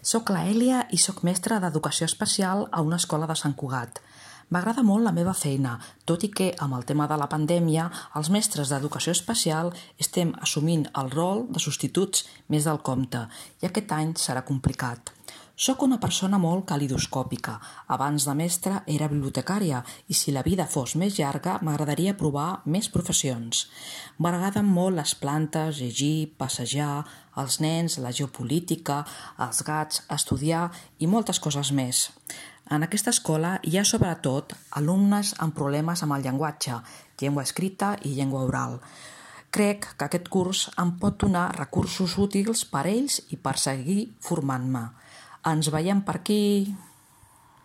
Soc la Èlia i soc mestra d'Educació Especial a una escola de Sant Cugat. M'agrada molt la meva feina, tot i que amb el tema de la pandèmia els mestres d'Educació Especial estem assumint el rol de substituts més del compte i aquest any serà complicat. Soc una persona molt calidoscòpica. Abans de mestra era bibliotecària i si la vida fos més llarga m'agradaria provar més professions. M'agraden molt les plantes, llegir, passejar, els nens, la geopolítica, els gats, estudiar i moltes coses més. En aquesta escola hi ha sobretot alumnes amb problemes amb el llenguatge, llengua escrita i llengua oral. Crec que aquest curs em pot donar recursos útils per a ells i per seguir formant-me. Ens veiem per aquí!